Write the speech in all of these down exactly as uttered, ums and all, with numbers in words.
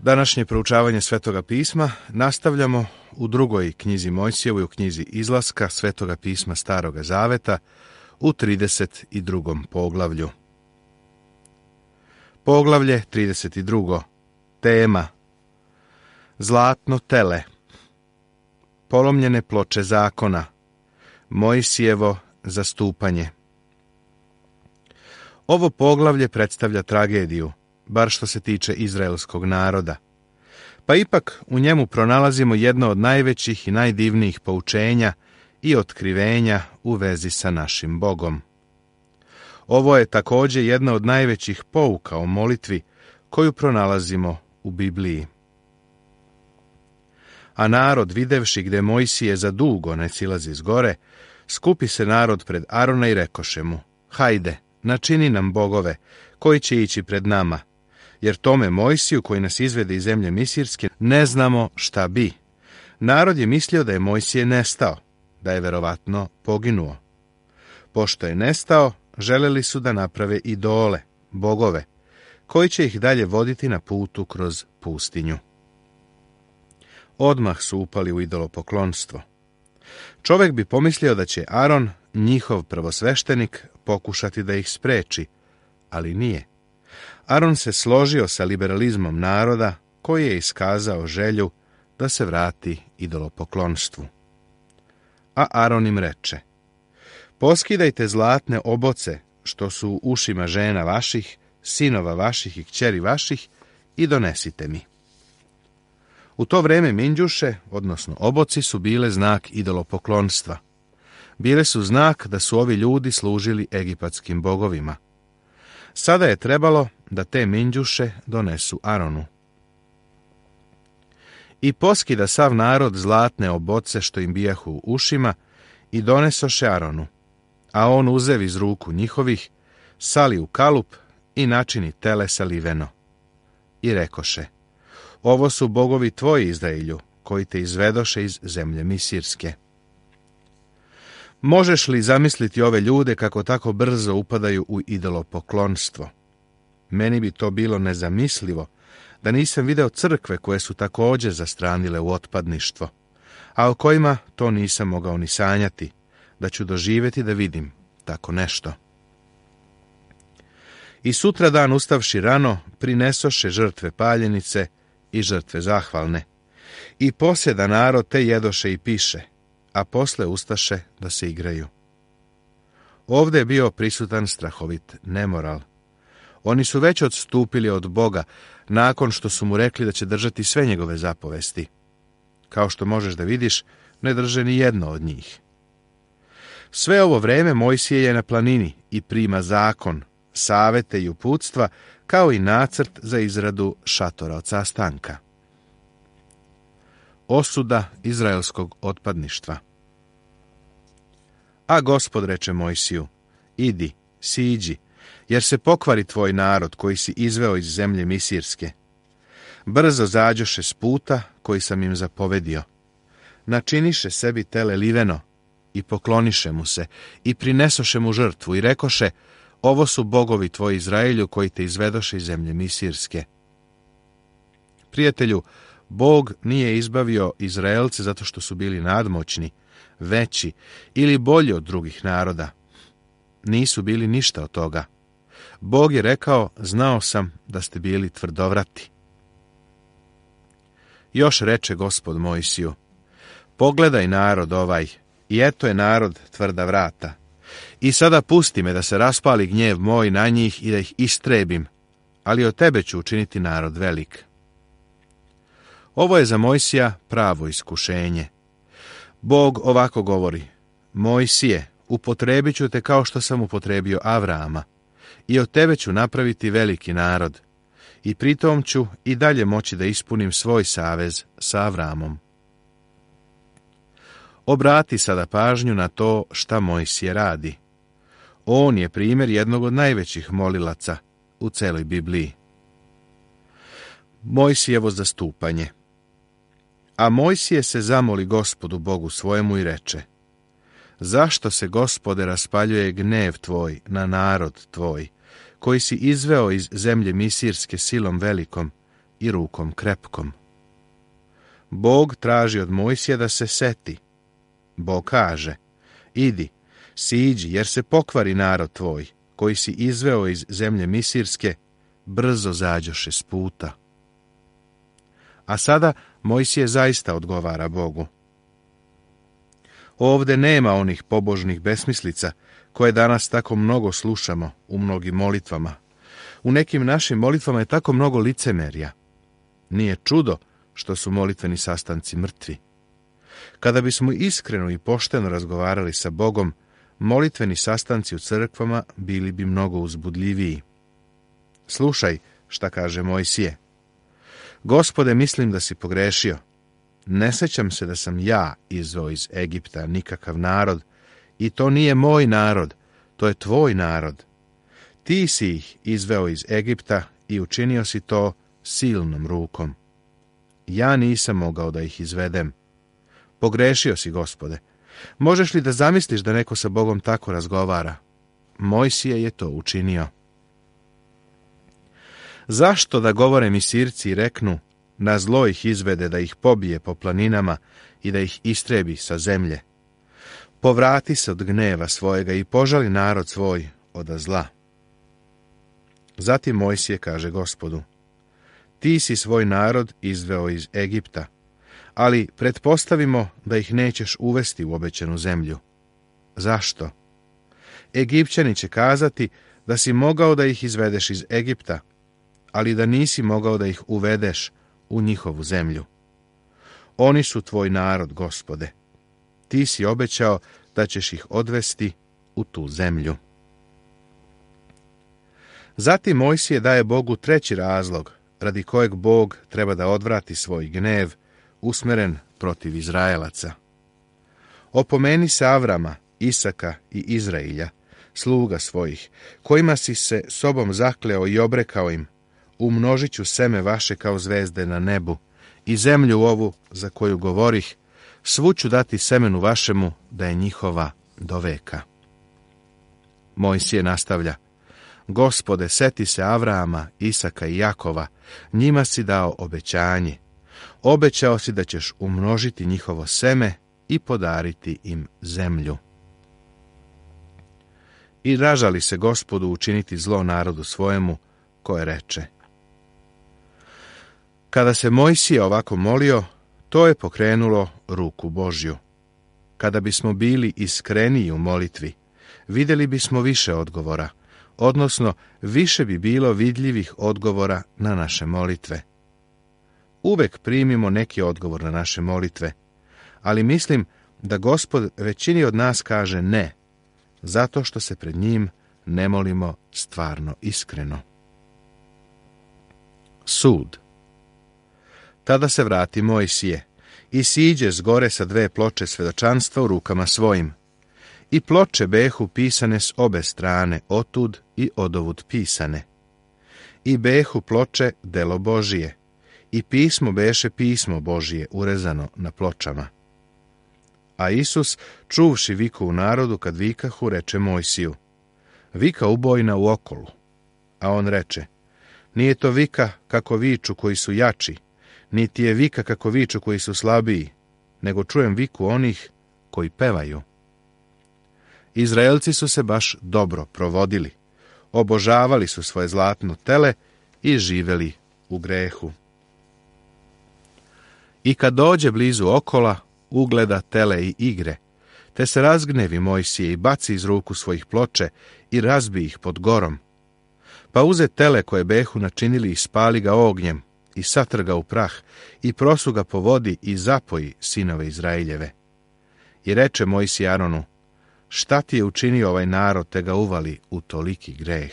Današnje proučavanje Svetoga pisma nastavljamo u drugoj knjizi Mojsijevoj, u knjizi Izlaska Svetoga pisma Staroga zaveta, u trideset drugom poglavlju. Poglavlje trideset drugo. Tema: Zlatno tele. Polomljene ploče zakona. Mojsijevo zastupanje. Ovo poglavlje predstavlja tragediju, bar što se tiče izraelskog naroda. Pa ipak u njemu pronalazimo jedno od najvećih i najdivnijih poučenja i otkrivenja u vezi sa našim Bogom. Ovo je također jedna od najvećih pouka o molitvi koju pronalazimo u Bibliji. A narod, videvši gde Mojsije za dugo ne silazi s gore, skupi se narod pred Arona i rekoše mu: hajde, načini nam bogove, koji će ići pred nama, jer tome Mojsiju, koji nas izvede iz zemlje Misirske, ne znamo šta bi. Narod je mislio da je Mojsije nestao, da je verovatno poginuo. Pošto je nestao, želeli su da naprave idole, bogove, koji će ih dalje voditi na putu kroz pustinju. Odmah su upali u idolopoklonstvo. Čovjek bi pomislio da će Aron, njihov prvosveštenik, pokušati da ih spreči, ali nije. Aron se složio sa liberalizmom naroda, koji je iskazao želju da se vrati idolopoklonstvu. A Aron im reče: poskidajte zlatne oboce što su u ušima žena vaših, sinova vaših i kćeri vaših, i donesite mi. U to vreme minđuše, odnosno oboci, su bile znak idolopoklonstva. Bile su znak da su ovi ljudi služili egipatskim bogovima. Sada je trebalo da te minđuše donesu Aronu. I poskida sav narod zlatne oboce što im bijahu u ušima i donesoše Aronu, a on uzev iz ruku njihovih, sali u kalup i načini tele saliveno. I rekoše: ovo su bogovi tvoji, Izraelju, koji te izvedoše iz zemlje Misirske. Možeš li zamisliti ove ljude kako tako brzo upadaju u idolopoklonstvo? Meni bi to bilo nezamislivo da nisam video crkve koje su također zastranile u otpadništvo, a o kojima to nisam mogao ni sanjati, da ću doživjeti da vidim tako nešto. I sutra dan ustavši rano, prinesoše žrtve paljenice i žrtve zahvalne. I posjeda narod te jedoše i piše, a posle ustaše da se igraju. Ovdje je bio prisutan strahovit nemoral. Oni su već odstupili od Boga nakon što su mu rekli da će držati sve njegove zapovesti. Kao što možeš da vidiš, ne drže ni jedno od njih. Sve ovo vreme Mojsije je na planini i prima zakon, savete i uputstva, kao i nacrt za izradu šatora od sastanka. Osuda izraelskog otpadništva. A Gospod reče Mojsiju: idi, siđi, jer se pokvari tvoj narod koji si izveo iz zemlje Misirske. Brzo zađoše s puta koji sam im zapovedio. Načiniše sebi tele liveno i pokloniše mu se i prinesoše mu žrtvu i rekoše: ovo su bogovi tvoji, Izraelju, koji te izvedoše iz zemlje Misirske. Prijatelju, Bog nije izbavio Izraelce zato što su bili nadmoćni, veći ili bolji od drugih naroda. Nisu bili ništa od toga. Bog je rekao: znao sam da ste bili tvrdovrati. Još reče Gospod Mojsiju: pogledaj narod ovaj, i eto je narod tvrda vrata. I sada pusti me da se raspali gnjev moj na njih i da ih istrebim, ali od tebe ću učiniti narod velik. Ovo je za Mojsija pravo iskušenje. Bog ovako govori: Mojsije, upotrebit ću te kao što sam upotrebio Avrama, i od tebe ću napraviti veliki narod, i pritom ću i dalje moći da ispunim svoj savez sa Avramom. Obrati sada pažnju na to šta Mojsije radi. On je primjer jednog od najvećih molilaca u celoj Bibliji. Mojsijevo zastupanje. A Mojsije se zamoli Gospodu Bogu svojemu i reče: zašto se, Gospode, raspaljuje gnev tvoj na narod tvoj, koji si izveo iz zemlje Misirske silom velikom, i rukom krepkom. Bog traži od Mojsija da se seti. Bog kaže, idi, siđi, jer se pokvari narod tvoj, koji si izveo iz zemlje Misirske, brzo zađoše s puta. A sada Mojsije zaista odgovara Bogu. Ovde nema onih pobožnih besmislica koje danas tako mnogo slušamo u mnogim molitvama. U nekim našim molitvama je tako mnogo licemerja. Nije čudo što su molitveni sastanci mrtvi. Kada bismo iskreno i pošteno razgovarali sa Bogom, molitveni sastanci u crkvama bili bi mnogo uzbudljiviji. Slušaj šta kaže Mojsije. Gospode, mislim da si pogrešio. Ne sećam se da sam ja izveo iz Egipta nikakav narod, i to nije moj narod, to je tvoj narod. Ti si ih izveo iz Egipta i učinio si to silnom rukom. Ja nisam mogao da ih izvedem. Pogrešio si, Gospode. Možeš li da zamisliš da neko sa Bogom tako razgovara? Mojsije je to učinio. Zašto da govore Misirci i reknu, na zlo ih izvede da ih pobije po planinama i da ih istrebi sa zemlje? Povrati se od gneva svojega i požali narod svoj od zla. Zatim Mojsije kaže Gospodu, ti si svoj narod izveo iz Egipta, ali pretpostavimo da ih nećeš uvesti u obećanu zemlju. Zašto? Egipćani će kazati da si mogao da ih izvedeš iz Egipta, ali da nisi mogao da ih uvedeš u njihovu zemlju. Oni su tvoj narod, Gospode. Ti si obećao da ćeš ih odvesti u tu zemlju. Zatim Mojsije daje Bogu treći razlog, radi kojeg Bog treba da odvrati svoj gnev, usmeren protiv Izraelaca. Opomeni se Avrama, Isaka i Izrailja, sluga svojih, kojima si se sobom zakleo i obrekao im, umnožit ću seme vaše kao zvezde na nebu, i zemlju ovu za koju govorih, svu ću dati semenu vašemu, da je njihova do veka. Mojsije nastavlja, Gospode, seti se Avrama, Isaka i Jakova, njima si dao obećanje. Obećao si da ćeš umnožiti njihovo seme i podariti im zemlju. I ražali se Gospodu učiniti zlo narodu svojemu, koje reče. Kada se Mojsije ovako molio, to je pokrenulo ruku Božju. Kada bismo bili iskreniji u molitvi, vidjeli bismo više odgovora, odnosno više bi bilo vidljivih odgovora na naše molitve. Uvek primimo neki odgovor na naše molitve, ali mislim da Gospod većini od nas kaže ne, zato što se pred njim ne molimo stvarno iskreno. Sud. Tada se vrati Mojsije i siđe s gore sa dve ploče svedočanstva u rukama svojim. I ploče behu pisane s obe strane, otud i odovud pisane. I behu ploče delo Božije, i pismo beše pismo Božije urezano na pločama. A Isus, čuvši viku u narodu, kad vikahu, reče Mojsiju, vika ubojna u okolu. A on reče, nije to vika kako viču koji su jači, niti je vika kako viču koji su slabiji, nego čujem viku onih koji pevaju. Izraelci su se baš dobro provodili, obožavali su svoje zlatno tele i živeli u grehu. I kad dođe blizu okola, ugleda tele i igre, te se razgnevi Mojsije i baci iz ruku svojih ploče i razbi ih pod gorom. Pa uze tele koje behu načinili i spali ga ognjem, i satrga u prah, i prosu ga po vodi i zapoji sinove Izraeljeve. I reče Mojsije Aronu, šta ti je učinio ovaj narod, te ga uvali u toliki greh?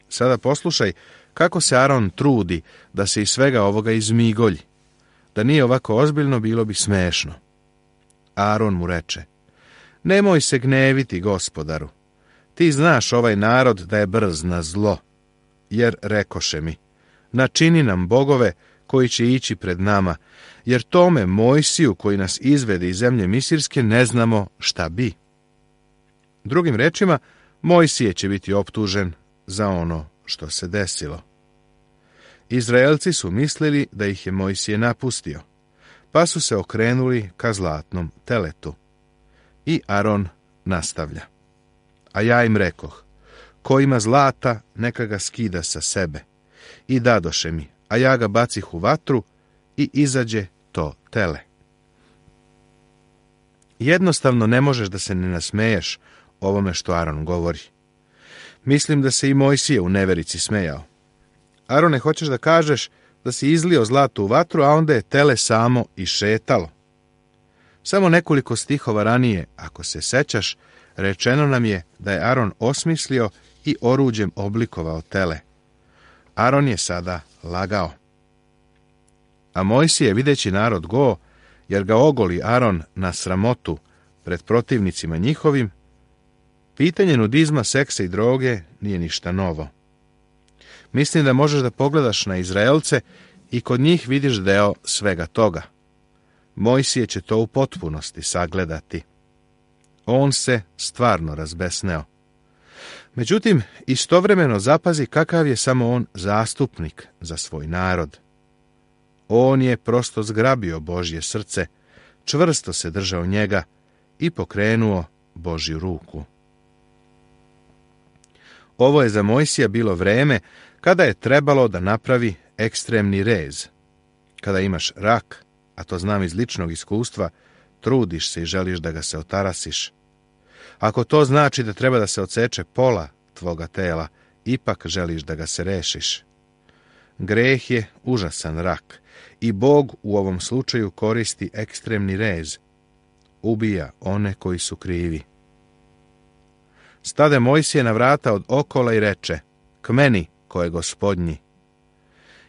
Sada poslušaj kako se Aron trudi da se iz svega ovoga izmigolji. Da nije ovako ozbiljno, bilo bi smešno. Aron mu reče, nemoj se gneviti, Gospodaru. Ti znaš ovaj narod da je brz na zlo, jer rekoše mi, načini nam bogove koji će ići pred nama, jer tome Mojsiju koji nas izvede iz zemlje Misirske ne znamo šta bi. Drugim rečima, Mojsije će biti optužen za ono što se desilo. Izraelci su mislili da ih je Mojsije napustio, pa su se okrenuli ka zlatnom teletu. I Aron nastavlja. A ja im rekoh, ko ima zlata, neka ga skida sa sebe. I dadoše mi, a ja ga bacih u vatru i izađe to tele. Jednostavno ne možeš da se ne nasmeješ ovome što Aron govori. Mislim da se i Mojsije u neverici smejao. Arone, hoćeš da kažeš da si izlio zlato u vatru, a onda je tele samo i šetalo. Samo nekoliko stihova ranije, ako se sećaš, rečeno nam je da je Aron osmislio i oruđem oblikovao tele. Aron je sada lagao. A Mojsije, videći narod go, jer ga ogoli Aron na sramotu pred protivnicima njihovim, pitanje nudizma, seksa i droge nije ništa novo. Mislim da možeš da pogledaš na Izraelce i kod njih vidiš deo svega toga. Mojsije će to u potpunosti sagledati. On se stvarno razbesneo. Međutim, istovremeno zapazi kakav je samo on zastupnik za svoj narod. On je prosto zgrabio Božje srce, čvrsto se držao njega i pokrenuo Božju ruku. Ovo je za Mojsija bilo vreme kada je trebalo da napravi ekstremni rez. Kada imaš rak, a to znam iz ličnog iskustva, trudiš se i želiš da ga se otarasiš. Ako to znači da treba da se odseče pola tvoga tela, ipak želiš da ga se rešiš. Greh je užasan rak i Bog u ovom slučaju koristi ekstremni rez. Ubija one koji su krivi. Stade Mojsije na vrata od okola i reče, k meni, ko je Gospodnji.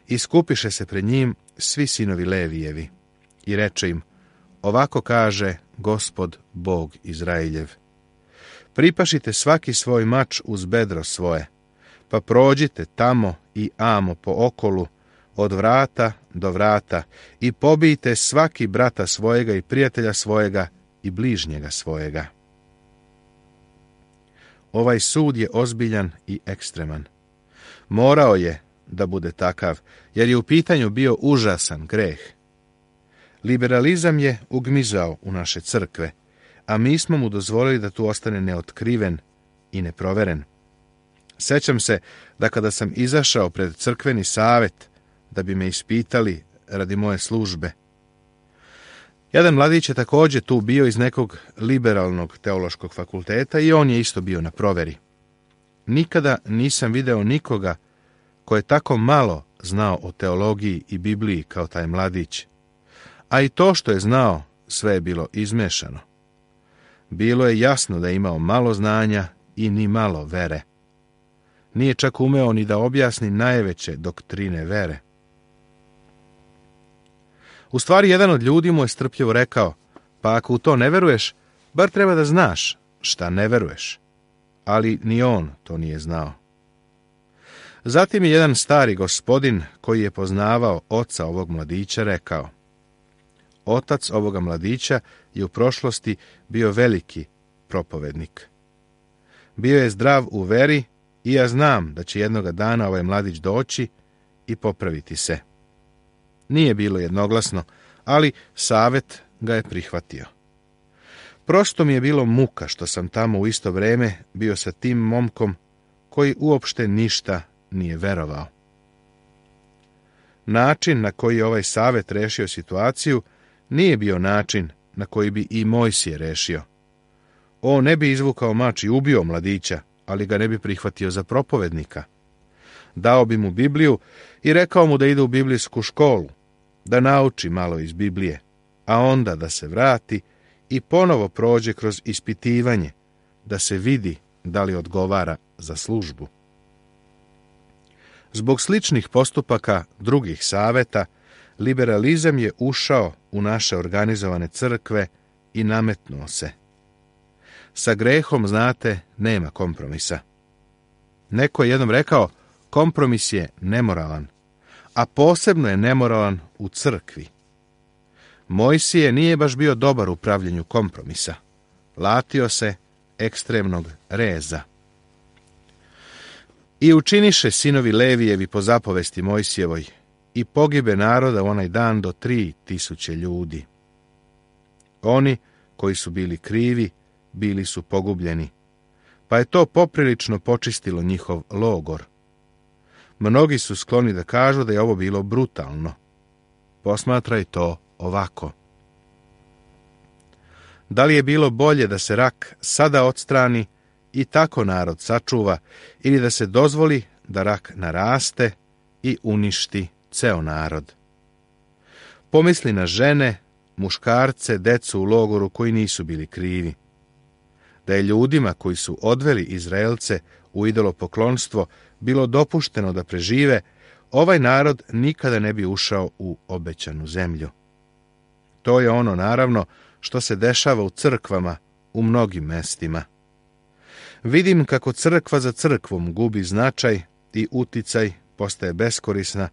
I skupiše se pred njim svi sinovi Levijevi. I reče im, ovako kaže Gospod Bog Izraeljev. Pripašite svaki svoj mač uz bedro svoje, pa prođite tamo i amo po okolu, od vrata do vrata, i pobijte svaki brata svojega i prijatelja svojega i bližnjega svojega. Ovaj sud je ozbiljan i ekstreman. Morao je da bude takav, jer je u pitanju bio užasan greh. Liberalizam je ugmizao u naše crkve, a mi smo mu dozvolili da tu ostane neotkriven i neproveren. Sećam se da kada sam izašao pred crkveni savet da bi me ispitali radi moje službe, jedan mladić je također tu bio iz nekog liberalnog teološkog fakulteta i on je isto bio na proveri. Nikada nisam video nikoga ko je tako malo znao o teologiji i Bibliji kao taj mladić. A i to što je znao, sve je bilo izmešano. Bilo je jasno da je imao malo znanja i ni malo vere. Nije čak umeo ni da objasni najveće doktrine vere. U stvari, jedan od ljudi mu je strpljivo rekao, pa ako u to ne veruješ, bar treba da znaš šta ne veruješ. Ali ni on to nije znao. Zatim je jedan stari gospodin, koji je poznavao oca ovog mladića, rekao, otac ovoga mladića je u prošlosti bio veliki propovednik. Bio je zdrav u veri i ja znam da će jednoga dana ovaj mladić doći i popraviti se. Nije bilo jednoglasno, ali savet ga je prihvatio. Prosto mi je bilo muka što sam tamo u isto vrijeme bio sa tim momkom koji uopšte ništa nije verovao. Način na koji je ovaj savet rešio situaciju nije bio način na koji bi i Mojsije rešio. On ne bi izvukao mač i ubio mladića, ali ga ne bi prihvatio za propovednika. Dao bi mu Bibliju i rekao mu da ide u biblijsku školu, da nauči malo iz Biblije, a onda da se vrati i ponovo prođe kroz ispitivanje, da se vidi da li odgovara za službu. Zbog sličnih postupaka drugih saveta, liberalizam je ušao u naše organizovane crkve i nametnuo se. Sa grehom, znate, nema kompromisa. Neko je jednom rekao, kompromis je nemoralan, a posebno je nemoralan u crkvi. Mojsije nije baš bio dobar u pravljenju kompromisa. Latio se ekstremnog reza. I učiniše sinovi Levijevi po zapovesti Mojsijevoj, i pogibe naroda u onaj dan do tri tisuće ljudi. Oni koji su bili krivi, bili su pogubljeni, pa je to poprilično počistilo njihov logor. Mnogi su skloni da kažu da je ovo bilo brutalno. Posmatraj to ovako. Da li je bilo bolje da se rak sada odstrani i tako narod sačuva, ili da se dozvoli da rak naraste i uništi ceo narod? Pomisli na žene, muškarce, decu u logoru koji nisu bili krivi. Da je ljudima koji su odveli Izraelce u idolopoklonstvo bilo dopušteno da prežive, ovaj narod nikada ne bi ušao u obećanu zemlju. To je ono, naravno, što se dešava u crkvama u mnogim mestima. Vidim kako crkva za crkvom gubi značaj i uticaj, postaje beskorisna,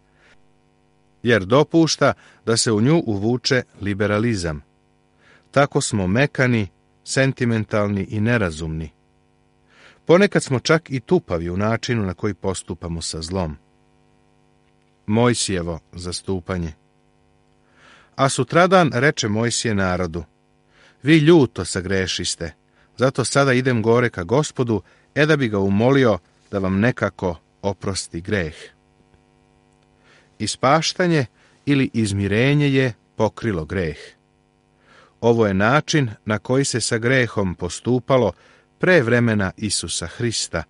jer dopušta da se u nju uvuče liberalizam. Tako smo mekani, sentimentalni i nerazumni. Ponekad smo čak i tupavi u načinu na koji postupamo sa zlom. Mojsijevo zastupanje. A sutradan reče Mojsije narodu: vi ljuto sagrešiste, zato sada idem gore ka Gospodu, e da bi ga umolio da vam nekako oprosti greh. Ispaštanje ili izmirenje je pokrilo greh. Ovo je način na koji se sa grehom postupalo pre vremena Isusa Hrista,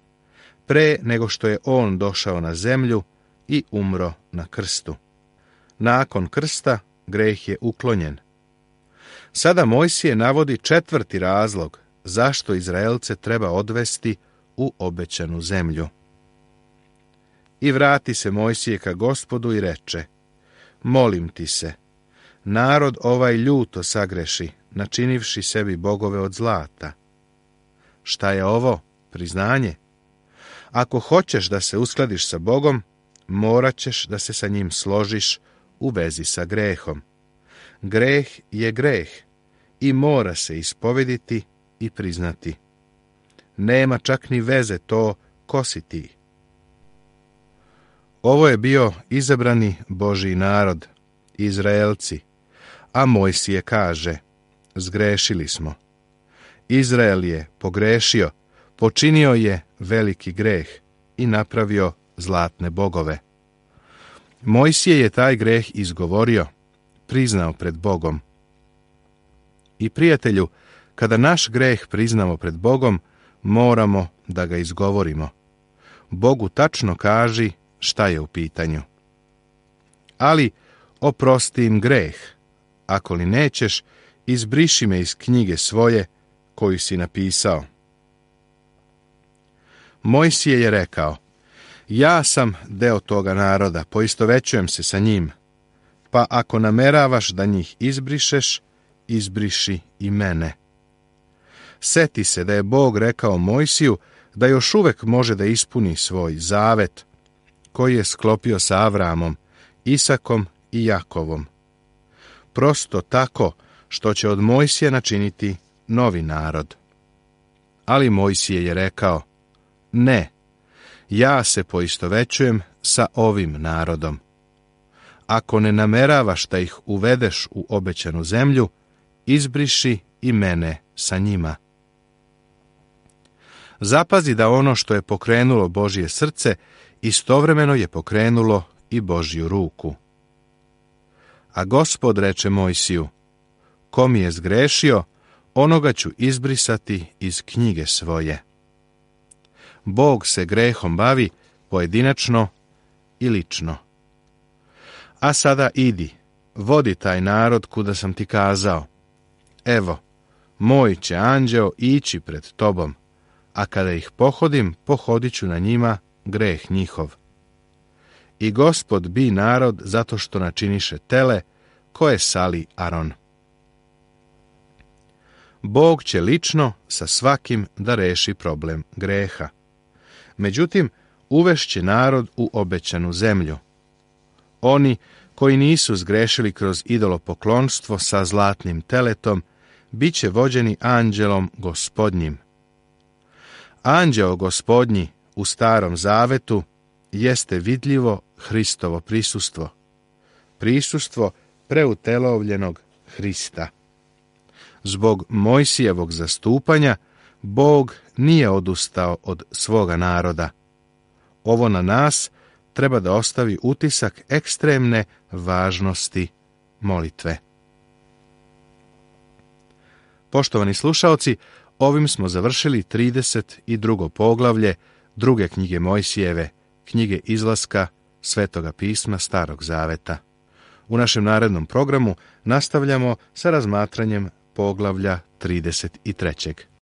pre nego što je on došao na zemlju i umro na krstu. Nakon krsta greh je uklonjen. Sada Mojsije navodi četvrti razlog zašto Izraelce treba odvesti u obećanu zemlju. I vrati se Mojsije ka Gospodu i reče: molim ti se, narod ovaj ljuto sagreši, načinivši sebi bogove od zlata. Šta je ovo? Priznanje. Ako hoćeš da se uskladiš sa Bogom, morat ćeš da se sa njim složiš u vezi sa grehom. Greh je greh i mora se ispovediti i priznati. Nema čak ni veze to ko si ti. Ovo je bio izabrani Božji narod, Izraelci, a Mojsije kaže: zgrešili smo. Izrael je pogrešio, počinio je veliki greh i napravio zlatne bogove. Mojsije je taj greh izgovorio, priznao pred Bogom. I prijatelju, kada naš greh priznamo pred Bogom, moramo da ga izgovorimo. Bogu tačno kaži šta je u pitanju. Ali oprosti im greh, ako li nećeš, izbriši me iz knjige svoje koju si napisao. Mojsije je rekao: ja sam deo toga naroda, poistovećujem se sa njim, pa ako nameravaš da njih izbrišeš, izbriši i mene. Seti se da je Bog rekao Mojsiju da još uvek može da ispuni svoj zavet koji je sklopio sa Avramom, Isakom i Jakovom. Prosto tako što će od Mojsija načiniti novi narod. Ali Mojsije je rekao: ne, ja se poistovećujem sa ovim narodom. Ako ne nameravaš da ih uvedeš u obećanu zemlju, izbriši i mene sa njima. Zapazi da ono što je pokrenulo Božje srce, istovremeno je pokrenulo i Božju ruku. A Gospod reče Mojsiju: ko mi je zgrešio, onoga ću izbrisati iz knjige svoje. Bog se grehom bavi pojedinačno i lično. A sada idi, vodi taj narod kuda sam ti kazao. Evo, moj će anđeo ići pred tobom, a kada ih pohodim, pohodit ću na njima greh njihov. I Gospod bi narod zato što načiniše tele koje sali Aron. Bog će lično sa svakim da reši problem greha. Međutim, uvešće narod u obećanu zemlju. Oni koji nisu zgrešili kroz idolopoklonstvo sa zlatnim teletom, bit će vođeni anđelom Gospodnjim. Anđeo Gospodnji u Starom Zavetu jeste vidljivo Hristovo prisustvo. Prisustvo preutelovljenog Hrista. Zbog Mojsijevog zastupanja, Bog nije odustao od svoga naroda. Ovo na nas treba da ostavi utisak ekstremne važnosti molitve. Poštovani slušaoci, ovim smo završili trideset drugo poglavlje druge knjige Mojsijeve, knjige Izlaska Svetoga pisma Starog Zaveta. U našem narednom programu nastavljamo sa razmatranjem poglavlja trideset trećeg